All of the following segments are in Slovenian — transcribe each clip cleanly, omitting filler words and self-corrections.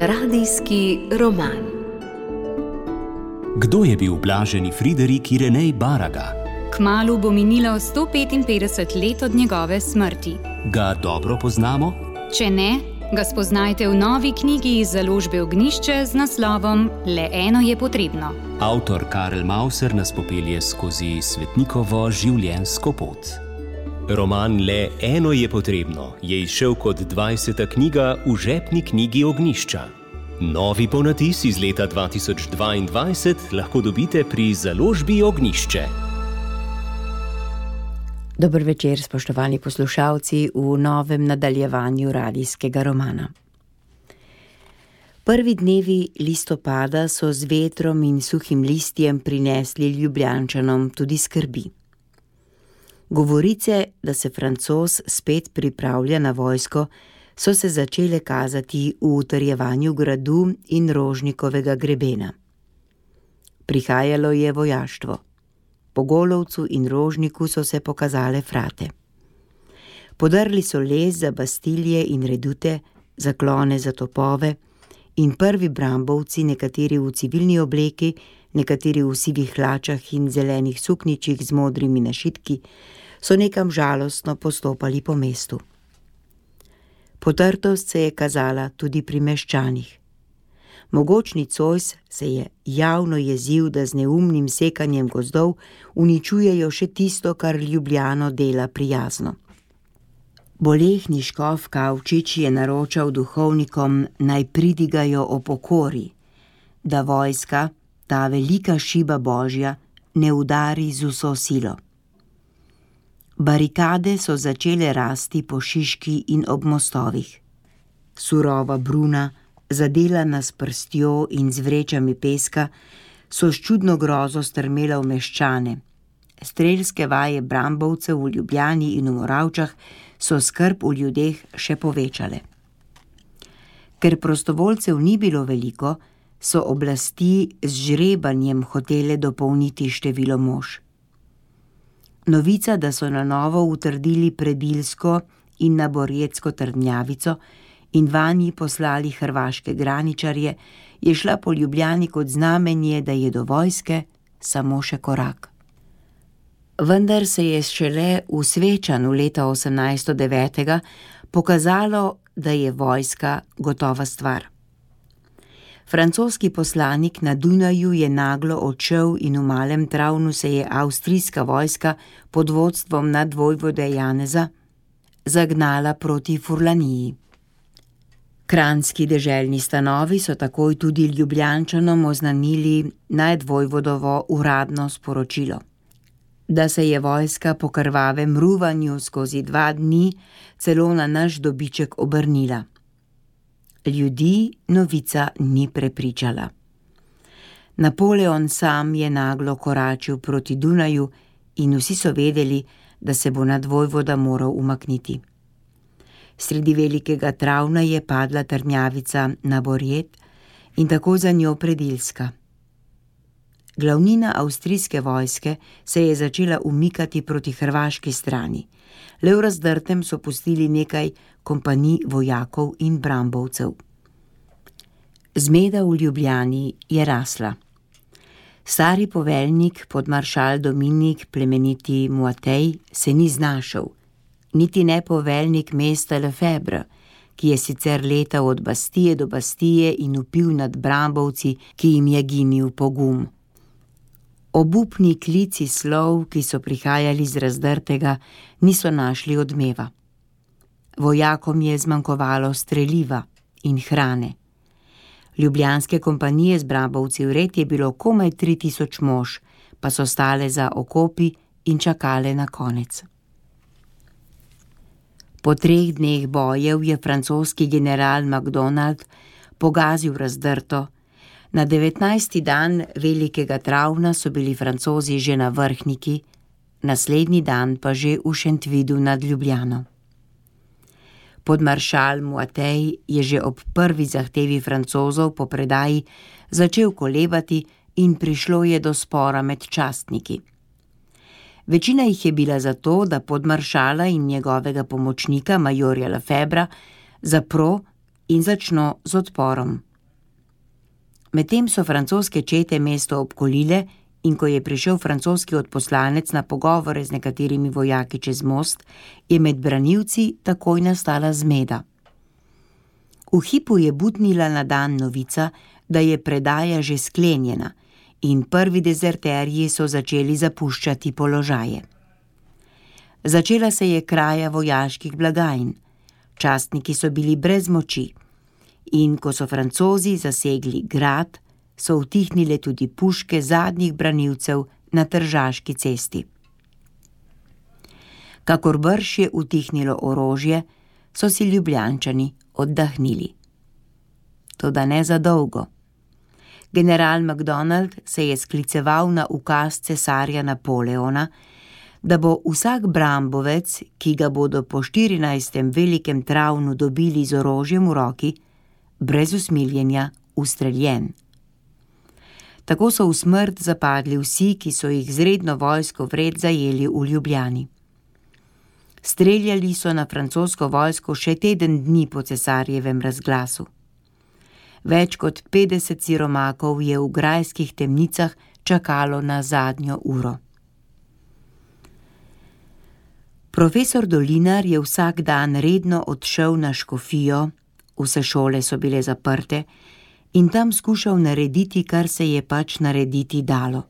Radijski roman. Kdo je bil blaženi Friderik Irenej Baraga? Kmalu bo minilo 155 let od njegove smrti. Ga dobro poznamo? Če ne, ga spoznajte v novi knjigi iz založbe Ognjišče z naslovom Le eno je potrebno. Avtor Karel Mauser nas popelje skozi svetnikovo življenjsko pot. Roman Le eno je potrebno je izšel kot 20. knjiga v žepni knjigi Ognjišča. Novi ponatis iz leta 2022 lahko dobite pri založbi Ognjišče. Dober večer, spoštovani poslušalci, v novem nadaljevanju radijskega romana. Prvi dnevi listopada so z vetrom in suhim listjem prinesli Ljubljančanom tudi skrbi. Govorice, da se Francoz spet pripravlja na vojsko, so se začele kazati v utrjevanju gradu in Rožnikovega grebena. Prihajalo je vojaštvo. Po Golovcu in Rožniku so se pokazale frate. Podrli so les za bastilje in redute, zaklone za topove in prvi brambovci, nekateri v civilni obleki, nekateri v sivih hlačah in zelenih sukničih z modrimi našitki, so nekam žalostno postopali po mestu. Potrtost se je kazala tudi pri meščanih. Mogočni Cojs se je javno jezil, da z neumnim sekanjem gozdov uničujejo še tisto, kar Ljubljano dela prijazno. Bolehni škof Kavčič je naročal duhovnikom, naj pridigajo o pokori, da vojska, ta velika šiba Božja, ne udari z vso silo. Barikade so začele rasti po Šiški in ob mostovih. Surova bruna, zadelana s prstjo in z vrečami peska, so s čudno grozo strmela v meščane. Strelske vaje brambovcev v Ljubljani in v Moravčah so skrb v ljudeh še povečale. Ker prostovoljcev ni bilo veliko, so oblasti z žrebanjem hotele dopolniti število mož. Novica, da so na novo utrdili Predilsko in Naborjetsko trdnjavico in vanji poslali hrvaške graničarje, je šla po Ljubljani kot znamenje, da je do vojske samo še korak. Vendar se je šele v Svečanu leta 1809 pokazalo, da je vojska gotova stvar. Francoski poslanik na Dunaju je naglo odšel in v Malem Travnu se je avstrijska vojska pod vodstvom nadvojvode Janeza zagnala proti Furlaniji. Kranjski deželni stanovi so takoj tudi Ljubljančanom oznanili nadvojvodovo uradno sporočilo, da se je vojska po krvavem ruvanju skozi 2 dni celo na naš dobiček obrnila. Ljudi novica ni prepričala. Napoleon sam je naglo koračil proti Dunaju in vsi so vedeli, da se bo nadvojvoda moral umakniti. Sredi Velikega Travna je padla trdnjavica Naborjet in tako za njo Predilska. Glavnina avstrijske vojske se je začela umikati proti hrvaški strani. Le v Razdrtem so pustili nekaj kompanij vojakov in brambovcev. Zmeda v Ljubljani je rasla. Stari poveljnik podmaršal Dominik plemeniti Muatej se ni znašel, niti ne poveljnik mesta Lefebvre, ki je sicer letal od Bastije do Bastije in vpil nad brambovci, ki jim je ginil pogum. Obupni klici slov, ki so prihajali z Razdrtega, niso našli odmeva. Vojakom je zmanjkovalo streliva in hrane. Ljubljanske kompanije z brambovci vred je bilo komaj 3000 mož, pa so stale za okopi in čakale na konec. Po 3 dneh bojev je francoski general MacDonald pogazil Razdrto. Na 19. dan Velikega Travna so bili Francozi že na Vrhniki, naslednji dan pa že v Šentvidu nad Ljubljano. Podmaršal Muatej je že ob prvi zahtevi Francozov po predaji začel kolebati in prišlo je do spora med častniki. Večina jih je bila za to, da podmaršala in njegovega pomočnika, majorja Lefebvra, zapro in začno z odporom. Medtem so francoske čete mesto obkolile in ko je prišel francoski odposlanec na pogovore z nekaterimi vojaki čez most, je med branilci takoj nastala zmeda. V hipu je butnila na dan novica, da je predaja že sklenjena in prvi dezerterji so začeli zapuščati položaje. Začela se je kraja vojaških blagajn, častniki so bili brez moči in ko so Francozi zasegli grad, so utihnile tudi puške zadnjih branilcev na Tržaški cesti. Kakor brž je utihnilo orožje, so si Ljubljančani oddahnili. Toda ne za dolgo. General MacDonald se je skliceval na ukaz cesarja Napoleona, da bo vsak brambovec, ki ga bodo po 14. velikem travnu dobili z orožjem v roki, brez usmiljenja ustreljen. Tako so v smrt zapadli vsi, ki so jih z redno vojsko vred zajeli v Ljubljani. Streljali so na francosko vojsko še teden dni po cesarjevem razglasu. Več kot 50 siromakov je v grajskih temnicah čakalo na zadnjo uro. Profesor Dolinar je vsak dan redno odšel na škofijo, vse šole so bile zaprte, in tam skušal narediti, kar se je pač narediti dalo.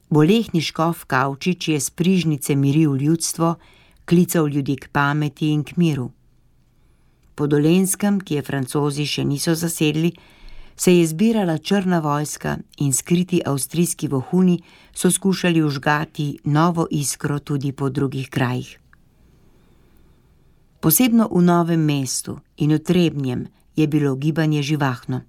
Bolehni škof Kavčič je s prižnice miril ljudstvo, klical ljudi k pameti in k miru. Po Dolenjskem, ki je Francozi še niso zasedli, se je zbirala črna vojska in skriti avstrijski vohuni so skušali vžgati novo iskro tudi po drugih krajih. Posebno v Novem mestu in v Trebnjem je bilo gibanje živahno.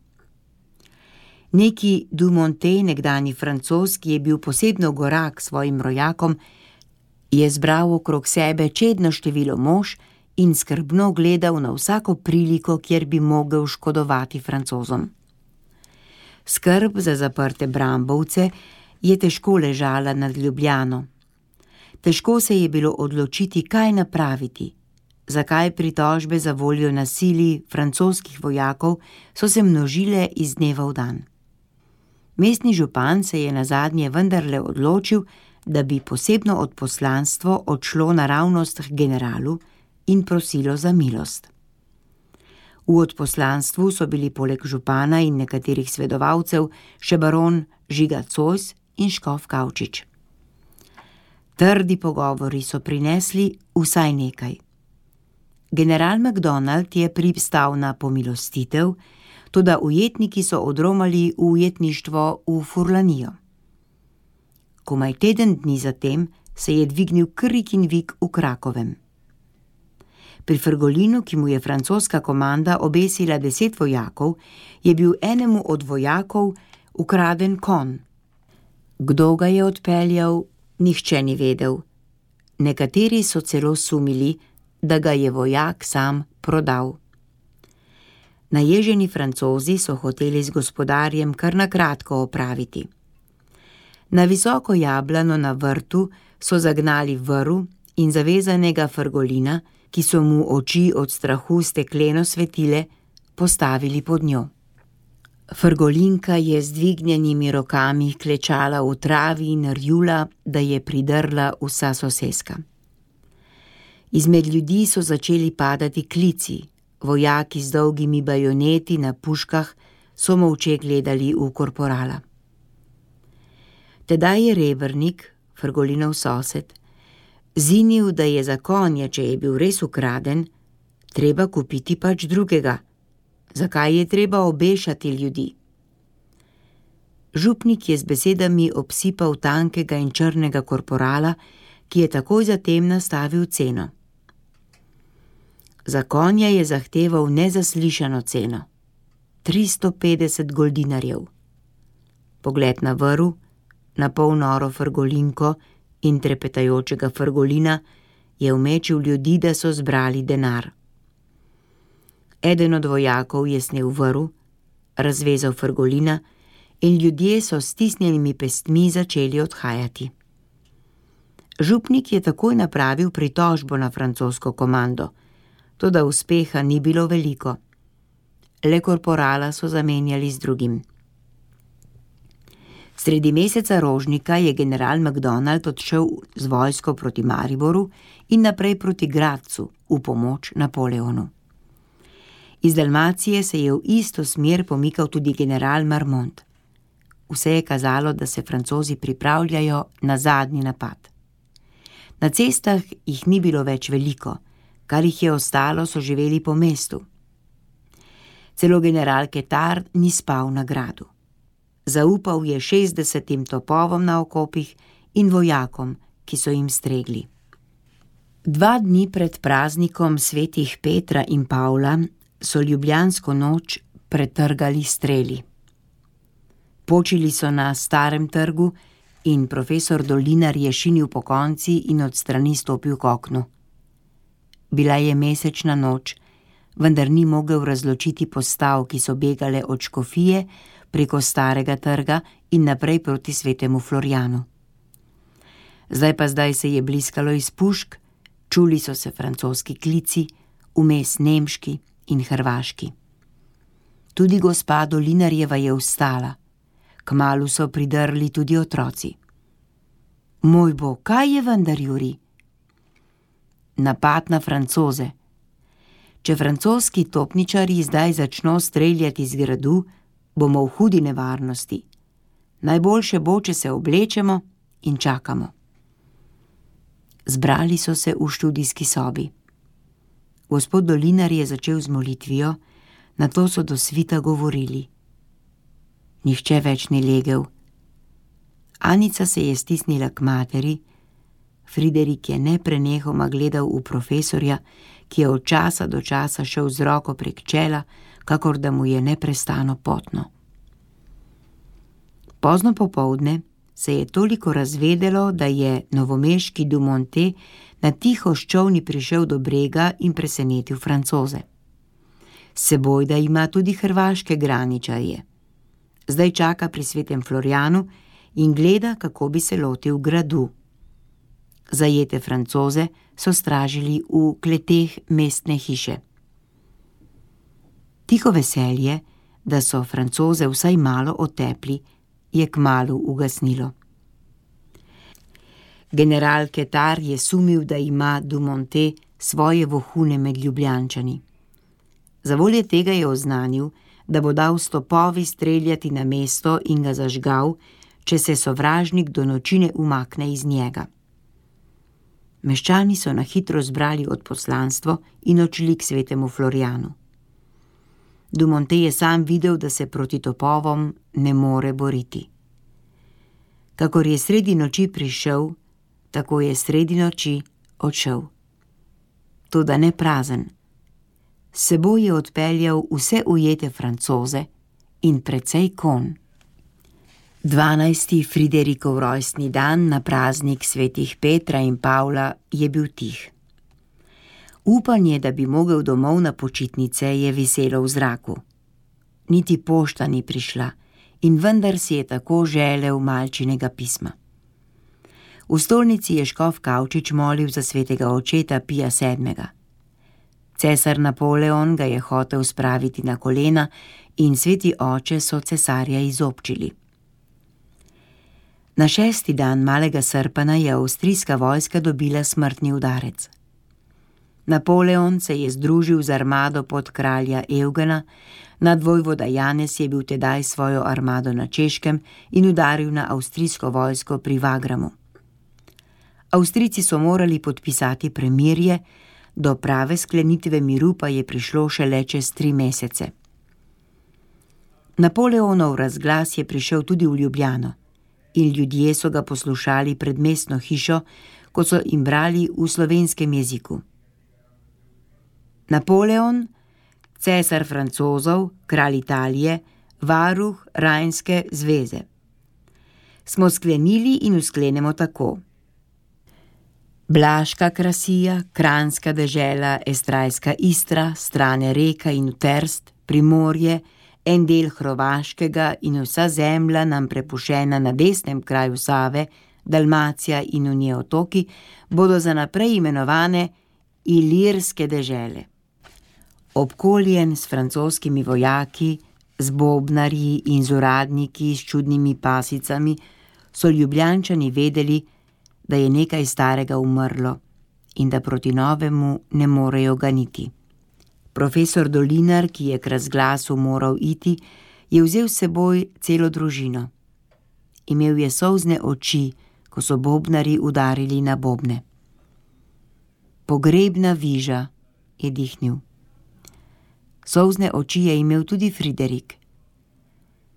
Neki Dumontet, nekdanji Francoz, ki je bil posebno gorak svojim rojakom, je zbral okrog sebe čedno število mož in skrbno gledal na vsako priliko, kjer bi mogel škodovati Francozom. Skrb za zaprte brambovce je težko ležala nad Ljubljano. Težko se je bilo odločiti, kaj napraviti. Zakaj pritožbe za voljo nasilij francoskih vojakov so se množile iz dneva v dan. Mestni župan se je nazadnje vendarle odločil, da bi posebno odposlanstvo odšlo naravnost k generalu in prosilo za milost. V odposlanstvu so bili poleg župana in nekaterih svedovalcev še baron Žiga Zois in škof Kavčič. Trdi pogovori so prinesli vsaj nekaj. General MacDonald je pristal na pomilostitev, toda ujetniki so odromali v ujetništvo v Furlanijo. Komaj teden dni zatem se je dvignil krik in vik v Krakovem. Pri Frgolinu, ki mu je francoska komanda obesila 10 vojakov, je bil enemu od vojakov ukraden konj. Kdo ga je odpeljal, nihče ni vedel. Nekateri so celo sumili, da ga je vojak sam prodal. Naježeni Francozi so hoteli z gospodarjem kar na kratko opraviti. Na visoko jablano na vrtu so zagnali vrv in zavezanega Frgolina, ki so mu oči od strahu stekleno svetile, postavili pod njo. Frgolinka je z dvignjenimi rokami klečala v travi in rjula, da je pridrla vsa soseska. Izmed ljudi so začeli padati klici, vojaki z dolgimi bajoneti na puškah so molče gledali v korporala. Tedaj je Rebernik, Frgolinov sosed, zinil, da je za konja, če je bil res ukraden, treba kupiti pač drugega. Zakaj je treba obešati ljudi? Župnik je z besedami obsipal tankega in črnega korporala, ki je takoj zatem nastavil ceno. Za konja je zahteval nezaslišano ceno, 350 goldinarjev. Pogled na vrv, na pol noro Frgolinko in trepetajočega Frgolina je umečil ljudi, da so zbrali denar. Eden od vojakov je snel vrv, razvezal Frgolina in ljudje so s stisnjenimi pestmi začeli odhajati. Župnik je takoj napravil pritožbo na francosko komando, toda uspeha ni bilo veliko. le korporala so zamenjali z drugim. Sredi meseca rožnika je general MacDonald odšel z vojsko proti Mariboru in naprej proti Gradcu v pomoč Napoleonu. Iz Dalmacije se je v isto smer pomikal tudi general Marmont. Vse je kazalo, da se Francozi pripravljajo na zadnji napad. Na cestah jih ni bilo več veliko, kar jih je ostalo, so živeli po mestu. Celo general Ketar ni spal na gradu. Zaupal je 60 topovom na okopih in vojakom, ki so jim stregli. 2 dni pred praznikom svetih Petra in Pavla so ljubljansko noč pretrgali streli. Počili so na Starem trgu in profesor Dolinar je šinil pokonci in od strani stopil k oknu. Bila je mesečna noč, vendar ni mogel razločiti postav, ki so begale od Škofije preko Starega trga in naprej proti svetemu Florjanu. Zdaj se je bliskalo iz pušk, čuli so se francoski klici, vmes nemški in hrvaški. Tudi gospa Dolinarjeva je vstala. Kmalu so pridrli tudi otroci. Moj bog, kaj je vendar, Juri? Napad na Francoze. Če francoski topničarji zdaj začno streljati z gradu, bomo v hudi nevarnosti. Najboljše bo, če se oblečemo in čakamo. Zbrali so se v študijski sobi. Gospod Dolinar je začel z molitvijo, nato so do svita govorili. Nihče več ni legel. Anica se je stisnila k materi, Friderik je neprenehoma gledal v profesorja, ki je od časa do časa šel z roko prek čela, kakor da mu je neprestano potno. Pozno popoldne se je toliko razvedelo, da je novomeški Dumonte na tiho s čolni prišel do brega in presenetil Francoze. S seboj da ima tudi hrvaške graničarje. Zdaj čaka pri svetem Florjanu in gleda, kako bi se lotil gradu. Zajete Francoze so stražili v kleteh mestne hiše. Tiho veselje, da so Francoze vsaj malo otepli, je kmalu ugasnilo. General Ketar je sumil, da ima Dumonte svoje vohune med Ljubljančani. Zavolje tega je oznanil, da bo dal s topovi streljati na mesto in ga zažgal, če se sovražnik do noči ne umakne iz njega. Meščani so na hitro zbrali odposlanstvo in odšli k svetemu Florjanu. Dumonte je sam videl, da se proti topovom ne more boriti. Kakor je sredi noči prišel, tako je sredi noči odšel. Toda ne prazen. S seboj je odpeljal vse ujete Francoze in precej konj. 12. Friderikov rojstni dan na praznik svetih Petra in Pavla je bil tih. Upanje, da bi mogel domov na počitnice, je viselo v zraku. Niti pošta ni prišla in vendar si je tako želel malčinega pisma. V stolnici je škof Kavčič molil za svetega očeta Pija VII. Cesar Napoleon ga je hotel spraviti na kolena in sveti oče so cesarja izobčili. Na 6. dan malega srpana je avstrijska vojska dobila smrtni udarec. Napoleon se je združil z armado pod kralja Eugena, nadvojvoda Janez je bil tedaj svojo armado na Češkem in udaril na avstrijsko vojsko pri Wagramu. Avstrijci so morali podpisati premirje, do prave sklenitve miru pa je prišlo šele čez 3 mesece. Napoleonov razglas je prišel tudi v Ljubljano in ljudje so ga poslušali pred mestno hišo, ko so jim brali v slovenskem jeziku. Napoleon, cesar Francozov, kralj Italije, varuh Rajnske zveze. Smo sklenili in usklenemo tako. Blaška krasija, Kranjska dežela, Estrajska Istra, strane Reka in Trst, Primorje, en del Hrvaškega in vsa zemlja nam prepuščena na desnem kraju Save, Dalmacija in njene otoki, bodo za naprej imenovane Ilirske dežele. Obkoljen s francoskimi vojaki, z bobnarji in z uradniki s čudnimi pasicami, so Ljubljančani vedeli, da je nekaj starega umrlo in da proti novemu ne morejo ganiti. Profesor Dolinar, ki je k razglasu moral iti, je vzel s seboj celo družino. Imel je solzne oči, ko so bobnari udarili na bobne. Pogrebna viža, je dihnil. Solzne oči je imel tudi Friderik.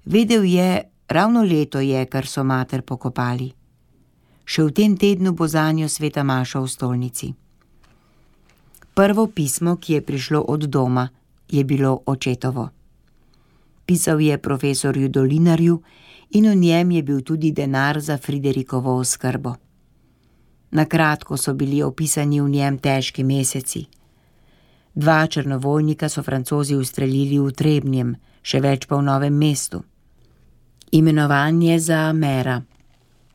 Vedel je, ravno leto je, kar so mater pokopali. Še v tem tednu bo zanjo sveta maša v stolnici. Prvo pismo, ki je prišlo od doma, je bilo očetovo. Pisal je profesorju Dolinarju in v njem je bil tudi denar za Friderikovo oskrbo. Na kratko so bili opisani v njem težki meseci. 2 črnovojnika so Francozi ustrelili v Trebnjem, še več pa v Novem mestu. Imenovanje za mera.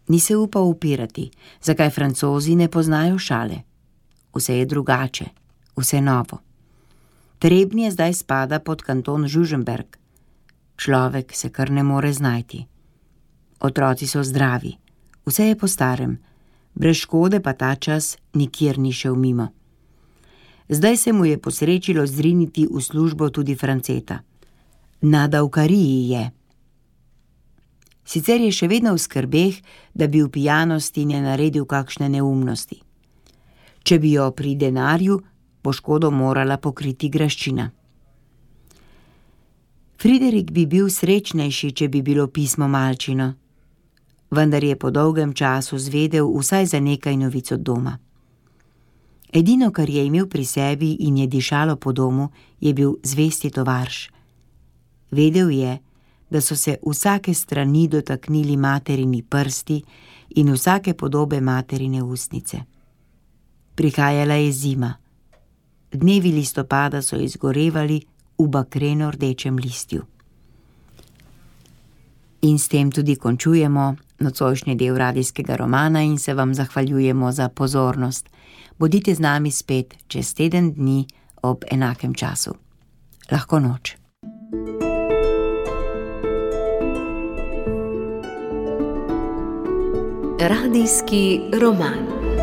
Ni se upal upirati, zakaj Francozi ne poznajo šale. Vse je drugače, vse novo. Trebnje zdaj spada pod kanton Žužemberg. Človek se kar ne more znajti. Otroci so zdravi, vse je po starem, brez škode pa ta čas nikjer ni šel mimo. Zdaj se mu je posrečilo zriniti v službo tudi Franceta. Na davkariji je. Sicer je še vedno v skrbeh, da bi v pijanosti ne naredil kakšne neumnosti. Če bi jo pri denarju, bo škodo morala pokriti graščina. Friderik bi bil srečnejši, če bi bilo pismo malčino, vendar je po dolgem času zvedel vsaj za nekaj novic od doma. Edino, kar je imel pri sebi in je dišalo po domu, je bil zvesti tovarš. Vedel je, da so se vsake strani dotaknili materini prsti in vsake podobe materine ustnice. Prihajala je zima. Dnevi listopada so izgorevali v bakreno rdečem listju. In s tem tudi končujemo nocojšnji del radijskega romana in se vam zahvaljujemo za pozornost. Bodite z nami spet čez teden dni ob enakem času. Lahko noč. Radijski roman.